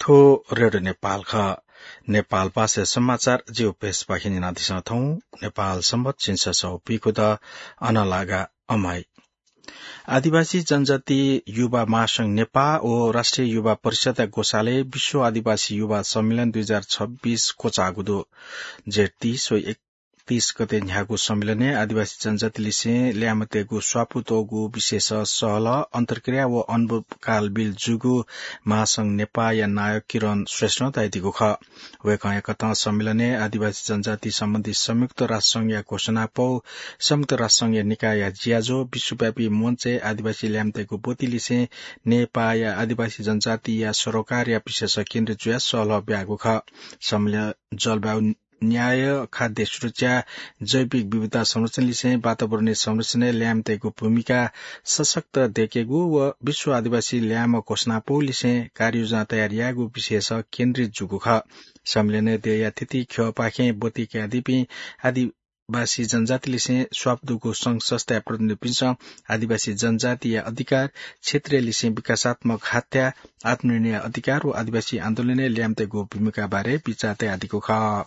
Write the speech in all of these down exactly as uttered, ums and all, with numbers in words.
थ्व रेडियो नेपाल खः। नेपाल भाषा समाचार जिगु पेजपाखें न्यनादिसँ थौं। नेपाल संवत झिंछसः व पीखुदँ अनलागा अमाइ। आदिवासी जनजाति युवा महासंघ नेपाः व राष्ट्रिय युवा परिषद्या ग्वसालय् विश्व आदिवासी युवा सम्मेलन दुई हजार छब्बीस क्वचाःगु दु। जेठ तीस व तीस गते न्ह्याःगु सम्मेलनय् आदिवासी जनजातिलिसें ल्याय्म्ह तयेगु स्वापू त्वःगु विषयस सहलह, अन्तर्क्रिया व अनुभवकाल बिल जूगु महासंघ नेपाःया नायः किरण श्रेष्ठं धयादीगु खः। वय्कःया कथं सम्मेलनय् आदिवासी जनजाति सम्बन्धी संयुक्त राष्ट्रसंघया घोषणापौ, संयुक्त राष्ट्रसंघया निकायया ज्याझ्वः, विश्वव्यापी मञ्चय् आदिवासी ल्याय्म्ह तयेगु ब्वतिलिसें नेपाःया आदिवासी जनजातिया सरोकारया विषयस केन्द्रित जुयाः सहलह ब्याःगु खः। सम्मेलनय् जलवायु न्याय, खाद्य सुरक्षा, जैविक विविधता संरक्षणलिसें वातावरणीय संरक्षणय् ल्याय्म्ह तयेगु भूमिका सशक्त दयेकेगु व विश्व आदिवासी ल्याय्म्ह घोषणापौलिसें कार्ययोजना तयार यायेगु विषयस केन्द्रित जूगु खः। सम्मेलनय् देय्या थीथी ख्यःपाखें ब्वति कयादीपिं आदिवासी जनजातिलिसें स्वापू दुगु संघ संस्थाया प्रतिनिधिपिन्सं आदिवासी जनजातिया अधिकार, क्षेत्रीय लिसें विकासात्मक हाथ्या, आत्मनिर्णय अधिकार व आदिवासी आन्दोलनय् ल्याय्म्ह तयेगु भूमिका बारे बिचाः तयादीगु खः।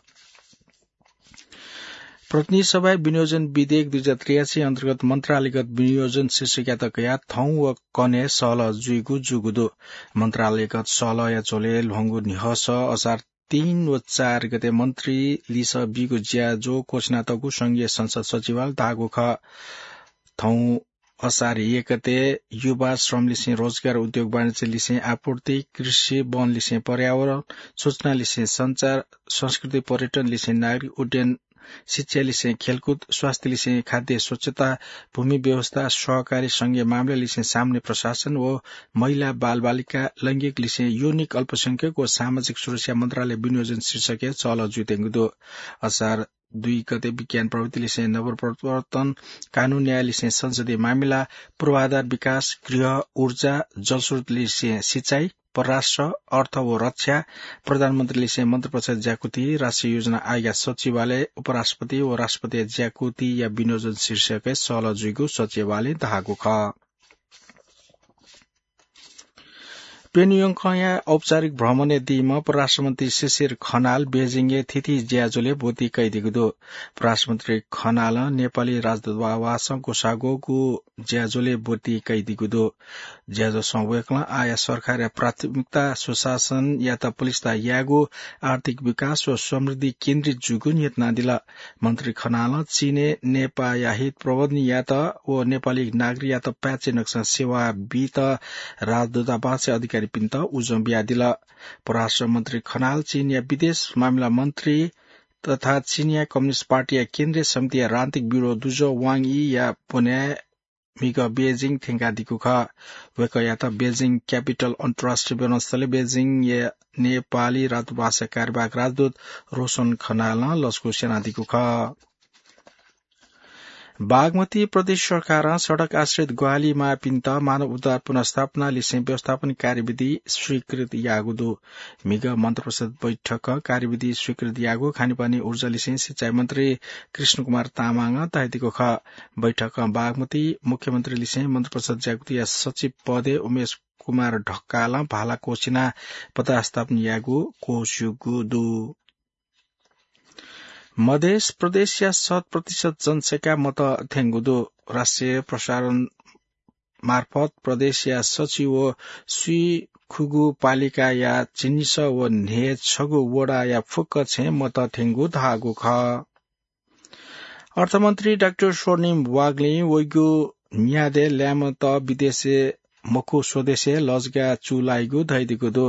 प्रतिनिधि सभाय् विनियोजन विधेयक दुई हजार त्रियासी अन्तर्गत मन्त्रालयगत विनियोजन शीर्षकयात कयाः थौं व कन्हय् सहलह जुइगु जूगु दु। मन्त्रालयगत सहलहया झ्वलय् ल्ह्वंगु न्ह्यःस असार तीन व चार गते मन्त्री लिसः बीगु ज्याझ्वः क्वछिनातःगु संघीय संसद सचिवालयं धाःगु खः। थौं असार एक गते युवा श्रमलिसें रोजगार, उद्योग वाणिज्यलिसें आपूर्ति, कृषि, वनलिसें पर्यावरण, सूचनालिसें सञ्चार, संस्कृति पर्यटनलिसें नागरिक उड्डयन, शिक्षालिसें खेलकुद, स्वास्थ्यलिसें खाद्य स्वच्छता, भूमि व्यवस्था, सहकारी संघीय मामिलालिसें सामान्य प्रशासन व महिला बालबालिका, लैंगिकलिसें योनिक अल्पसंख्यक व सामाजिक सुरक्षा मन्त्रालय विनियोजन शीर्षकय् सहलह जुइत्यंगु दु। असार दुई गते विज्ञान प्रविधिलिसें नवप्रवर्तन, कानून न्यायलिसें संसदीय मामिला, पूर्वाधार विकास, गृह, ऊर्जा, जलस्रोतलिसें सिँचाइ, परराष्ट्र, अर्थ व रक्षा, प्रधानमन्त्रीलिसें मन्त्रिपरिषद ज्याकुथि, राष्ट्रिय योजना आयोगया सचिवालय, उपराष्ट्रपति व राष्ट्रपतिया ज्याकुथिया विनियोजन शीर्षकय् सहलह जुइगु सचिवालयं धाःगु खः। प्यन्गयंगया औपचारिक भ्रमणय् दीम्ह परराष्ट्रमन्त्री शिशिर खनाल बेजिङय् थीथी ज्याझ्वलय् ब्वति कयादीगु दु। परराष्ट्रमन्त्री खनालं नेपाली राजदूतावासं ग्वसाः ग्वःगु ज्याझ्वलय् ब्वति कयादीगु दु। ज्याझ्वलय् वय्कलं आःया सरकारया प्राथमिकता सुशासनयात बलिष्ठता यायेगु, आर्थिक विकास व समृद्धि केन्द्रित जूगु न्ह्यथनादिल। मन्त्री खनालं चीनय् नेपाःया हित प्रवर्धन यायेत व नेपाली नागरिकयात पाय्छि नकसं सेवा बीत राजदूतावासया अधिकारीपिन्त उजं बियादिल। परराष्ट्र मन्त्री खनाल चीनया विदेश मामिला मन्त्री तथा चीनया कम्युनिस्ट पार्टीया केन्द्रीय समितिया राजनीतिक ब्यूरो दुजः वाङ यीया ब्वन्याय् म्हिगः बेजिङ थ्यंकादीगु खः। वय्कःयात बेजिङ क्यापिटल अन्तर्राष्ट्रिय विमानस्थलय् बेजिङया नेपाली राजदूतावासया कार्यवाहक राजदूत रोशन खनालं लसकुस यानादीगु खः। बागमती प्रदेश सरकारं सडक आश्रित ग्वाहालि माःपिन्त मानव उद्धार पुनर्स्थापनालिसें व्यवस्थापन कार्यविधि स्वीकृत याःगु दु। म्हिगः मन्त्रिपरिषद बैठकं कार्यविधि स्वीकृत याःगु खानेपानी ऊर्जालिसें सिँचाइ मन्त्री कृष्ण कुमार तामाङं धयादीगु खः। बैठकं बागमती मुख्यमन्त्रीलिसें मन्त्रिपरिषद ज्याकुथिया सचिव पदय् उमेश कुमार ढकालं भाला क्वछिनाः पदस्थापन यायेगु क्वस्यूगु दु। मधेस प्रदेशया शत प्रतिशत जनसंख्या मत थ्यंगु दु। राष्ट्रिय प्रसारण मार्फत प्रदेशया सच्छि व स्वीखुगू पालिकाया झिंनिसः व न्हय्छगू वडाया फुक्क छेँ मत थ्यंगु धाःगु खः। अर्थमन्त्री डाक्टर स्वर्णिम वाग्लें वइगु न्यादँय् ल्याय्म्हत विदेशय् मखु स्वदेशय् लजगाः चूलाइगु धयादीगु दु।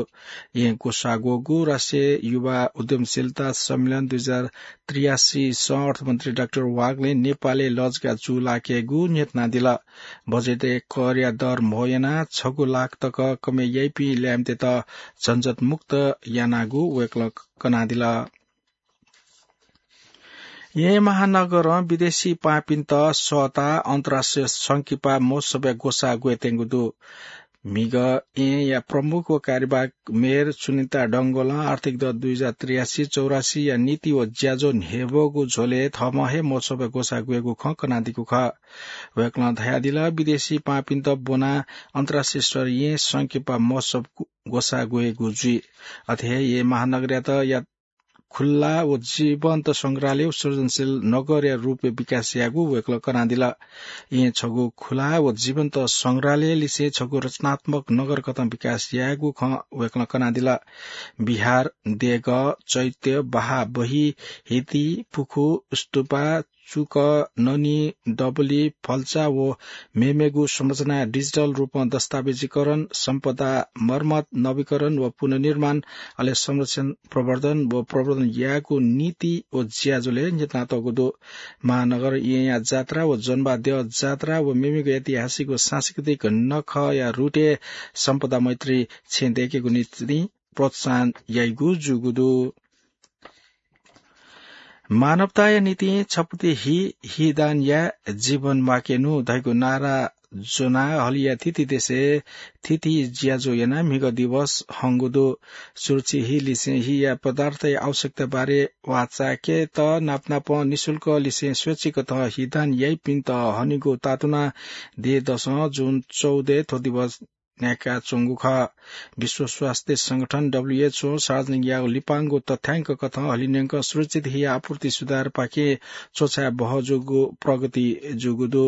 येँ ग्वसाः ग्वःगु राष्ट्रिय युवा उद्यमशीलता सम्मेलन दुई हजार त्रियासीसं अर्थमन्त्री डाक्टर वाग्लें नेपालय् लजगाः चूलाकेगु न्ह्यथनादिल। बजेटय् करया दर म्हो यानाः छगू लाख तक कमय् याइपिं ल्याय्म्हतय्त झन्झटमुक्त यानागु वय्कलं कनादिल। येँ महानगरं विदेशी पाहांपिन्त सःताः अन्तर्राष्ट्रिय संकिपा महोत्सवया ग्वसाः ग्वयेत्यंगु दु। म्हिगः येँया प्रमुख व कार्यवाहक मेयर सुनिता डंगोलं आर्थिक दँ दुई हजार त्रियासी चौरासीया नीति व ज्याझ्वः न्ह्यब्वःगु झ्वलय् थःम्हं हे महोत्सवय् ग्वसाः ग्वयेगु खँ कनादीगु खः। वय्कलं धयादिल, विदेशी पाहांपिन्त ब्वनाः अन्तर्राष्ट्रिय स्तरय् येँ संकिपा महोत्सव ग्वसाः ग्वयेगु जुइ। अथे हे येँ महानगरयात या खुल्ला व जीवन्त संग्रहालय व सृजनशील नगरया रूपय् विकास यायेगु वय्कलं कनादिल। येँ छगू खुला व जीवन्त संग्रहालय लिसें छगू रचनात्मक नगर कथं विकास यायेगु खँ वय्कलं कनादिल। विहार, देगः, चैत्य, बहाः बही, हिति, पुखू, स्तूपा, चुक, ननी, डबली, फल्चा व मेमेगु संरचना digital रूपं दस्तावेजीकरण, सम्पदा मर्मत, नवीकरण व पुनर्निर्माण, अले संरक्षण, प्रवर्धन व प्रवर्धन यायेगु नीति व ज्याझ्वलय् न्ह्यथनातःगु दु। महानगर येँया जात्रा व जनवाद्य जात्रा व मेमेगु ऐतिहासिक व सांस्कृतिक नखःया रूपय् सम्पदा मैत्री छेँ दय्केगु निंतिं प्रोत्साहन याइगु जूगु दु। मानवताया निंतिं छपति हि, हि दान या, जीवन म्वाकेनु धइगु नारा ज्वनाः हलिया थीथी देशय् थीथी ज्याझ्वः यानाः म्हिगः दिवस हंगु दु। सुरक्षित हि लिसें हिया पदार्थया आवश्यकता बारे वाःचाय्केत नापनापं निशुल्क लिसें स्वैच्छिक कथं हि दान याइपिन्त हनेगु तातुनाः देय् दसं जुन चौधय् थ्व दिवस न्ह्याकाच्वंगु खः। विश्व स्वास्थ्य संगठन, डब्ल्यूएचओ, सार्वजनिक याःगु लिपांगु तथ्यांक कथं हलिंन्यंक सुरक्षित हिया आपूर्ति सुधारपाखें च्वछाये बहः जूगु प्रगति जूगु दु।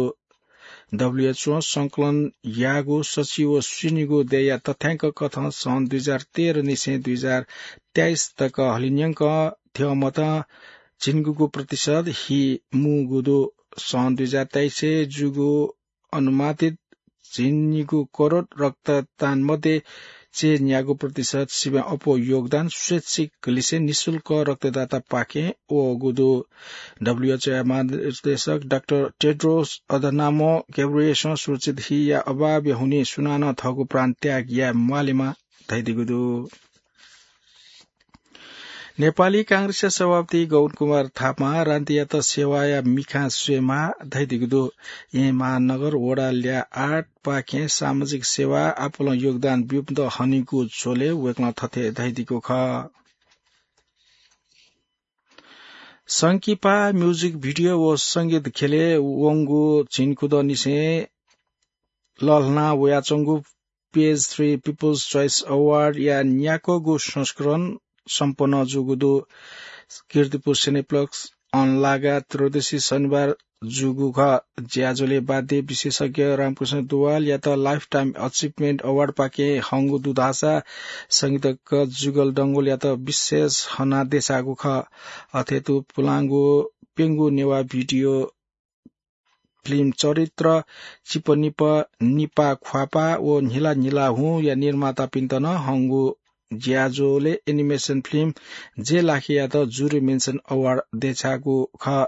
डब्ल्यूएचओ संकलन याःगु सच्छि व स्वीनिगू देय्या तथ्यांक कथं सन् दुई हजार तेह्र निसें दुई हजार तेइस तक हलिंन्यंक थ्यंमतं झिंनिगूगू प्रतिशत हि मूगु दु। सन् दुई हजार तेइसय् जूगु अनुमानित झिंनिगू करोड रक्तदान मध्ये चय्न्यागू प्रतिशत सिबें अप्वः योगदान स्वैच्छिक लिसें निशुल्क रक्तदातापाखें वःगु दु। डब्ल्यूएचओया महानिर्देशक डाक्टर टेड्रोस अधनामो गेब्रियसं सुरक्षित हिया अभावया हुनिं सुनानं थःगु प्राण त्याग याये म्वालेमा धयादीगु दु। नेपाली कांग्रेसया सभापति गगन कुमार थापां रान्तियात सेवाया मिखां स्वयेमाः धयादीगु दु। येँ महानगर वडा ल्याः आठ पाखें सामाजिक सेवा आपालं योगदान ब्यूपिन्त हनेगु झ्वलय् वय्कलं थथे धयादीगु खः। संकिपा music video व संगीत ख्यलय् वंगु झिंकुदँनिसें लःल्हाना वयाच्वंगु Page Three People's Choice Award या न्याक्वःगु संस्करण सम्पन्न जूगु दु। कीर्तिपुर Cineplex अन लागा त्रयोदशी शनिबार जूगु खः। ज्याझ्वलय् वाद्य विशेषज्ञ रामकृष्ण दुवालयात Lifetime Achievement Award पाखें हंगु दु धाःसा संगीतज्ञ जुगल डंगोलयात विशेष हना देछाःगु खः। अथे तुं पुलांगु प्यंगू नेवाः video film चरित्र चिपनिप निपा ख्वापा व न्हिला न्हिला हुँया निर्मातापिन्त नं हंगु ज्याझ्वलय् animation film जे लाखेयात jury mention award देछाःगु खः।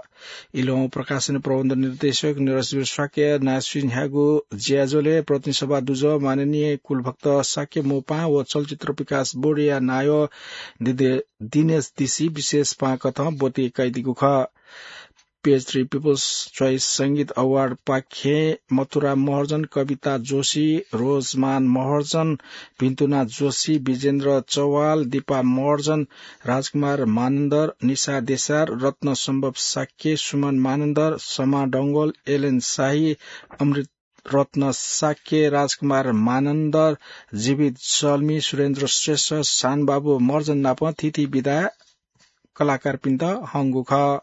इलोहं प्रकाशन प्रबन्ध निर्देशक नरेशवीर शाक्यया नायःसुइ न्ह्याःगु ज्याझ्वलय् प्रतिनिधि सभा दुजः माननीय कुलभक्त शाक्य मोपां व चलचित्र विकास बोर्डया नायः दिदे-, दिनेश दिसी विशेष पाहां कथं ब्वति कयादीगु खः। Page Three People's Choice संगीत Award पाखें मथुरा महर्जन, कविता जोशी, रोजमान महर्जन, भिन्तुना जोशी, विजेन्द्र चौहाल, दीपा महर्जन, राजकुमार मानन्धर, निशा देशार, रत्न सम्भव शाक्य, सुमन मानन्धर, समा डंगोल, एलेन शाही, अमृत रत्न शाक्य, राजकुमार मानन्धर, जीवित जल्मी, सुरेन्द्र श्रेष्ठ, शानबाबु महर्जन नाप थीथी विधा कलाकारपिन्त हंगु खः।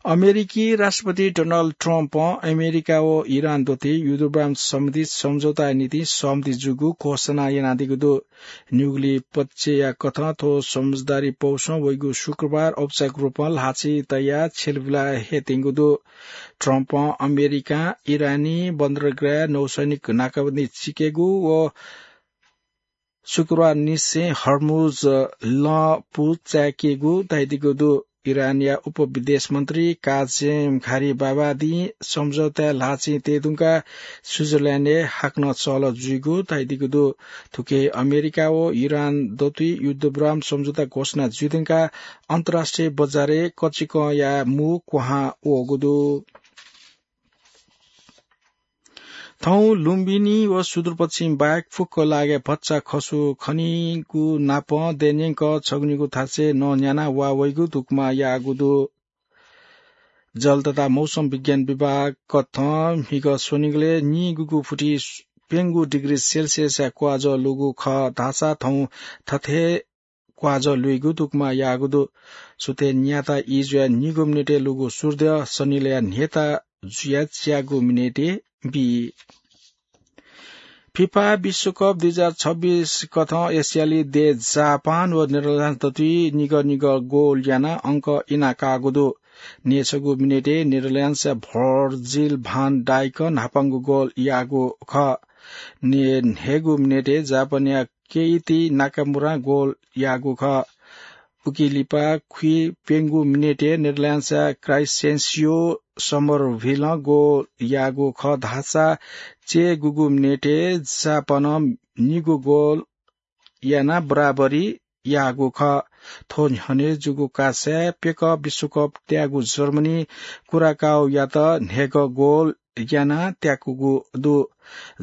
अमेरिकी राष्ट्रपति डोनाल्ड ट्रम्पं अमेरिका व इरान दथुइ युद्धविराम सम्बन्धी सम्झौताया निंतिं सहमति जूगु घोषणा यानादीगु दु। निगुलिं पक्षया कथं थ्व समझदारी पौसं वइगु शुक्रबार औपचारिक रूपं ल्हाःचिं तयाः छ्यलाबुला हयेत्यंगु दु। ट्रम्पं अमेरिकां इरानी बन्दरगाह नौसैनिक नाकाबन्दी चिकेगु व शुक्रबार निसें हर्मुज लँ पुचायेकेगु धयादीगु दु। इरानया उपविदेश मन्त्री काजेम घारीबाबादीं सम्झौताय् ल्हाःचिं तये धुंकाः स्विजरल्याण्डय् हाकनं चहलह जुइगु धयादीगु दु। थुकी अमेरिका व इरान दथुइ युद्धविराम सम्झौता घोषणा जुइ धुंकाः अन्तर्राष्ट्रिय बजारय् कचिकंया मू क्वहां वःगु दु। थौं लुम्बिनी व सुदूरपश्चिम बाहेक फुक्क लागे भचा खसु खनीगु नापं देन्यंक छगुनिगु थासय् नन्याना वा वइगु दुक्मा याःगु दु। जल तथा मौसम विज्ञान विभाग कथं म्हिगः स्वनिगलय् निगूगु फुति प्यंगू डिग्री सेल्सियसया क्वाजः लूगु खः धाःसा थौं थथे क्वाजः लुइगु दुक्मा याःगु दु। सुथय् न्याता ई जुया निगू मिनेटय् लूगु सूर्य सनिलया न्हेता जुया च्यागू मिनेटय् बी। फिफा विश्वकप दुई हजार छब्बीस कथं एसियाली देश जापान व नेदरल्याण्ड्स दथुइ निगः निगः गोल यानाः अंक इनाकाःगु दु। न्येसगू मिनेटय् नेदरल्याण्ड्सया भर्जिल भान डाइक न्हापांगु गोल याःगु खः। न्येन्हय्गू मिनेटय् जापानया केइति नाकामुरां गोल याःगु खः। उकी लिपा खुइप्यंगू मिनेटय् नेदरल्याण्ड्सया क्राइसेन्सियो समरभिलं गोल याःगु खः धाःसा चय्गूगू मिनेटय् जापानं निगू गोल यानाः बराबरी याःगु खः। थ्व न्ह्यःने जूगु कासाय् प्यकः विश्वकप त्याःगु जर्मनी कुराकाओयात न्हय्गः गोल यानाः त्याकूगु दु।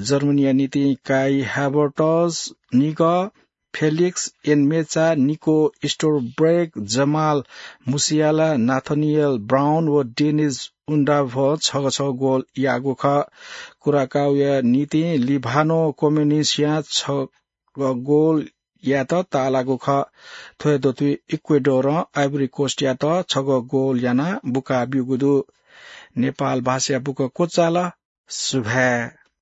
जर्मनीया निंतिं काई हाभर्टज निगः, फेलिक्स एन्मेचा, निको स्टोरब्रेग, जमाल मुसियाला, नाथनिएल ब्राउन व डेनिस उन्डाभं छगः छगः गोल याःगु खः। कुराकाओया निंतिं लिभानो कोमेनिसियां छगः गोल यायेत ताःलाःगु खः। थ्व हे दथुइ इक्वेडोरं आइभरी कोस्टयात छगः गोल यानाः बुका ब्यूगु दु। नेपाल भाषाया बुकं क्वचाल। सुभाय्।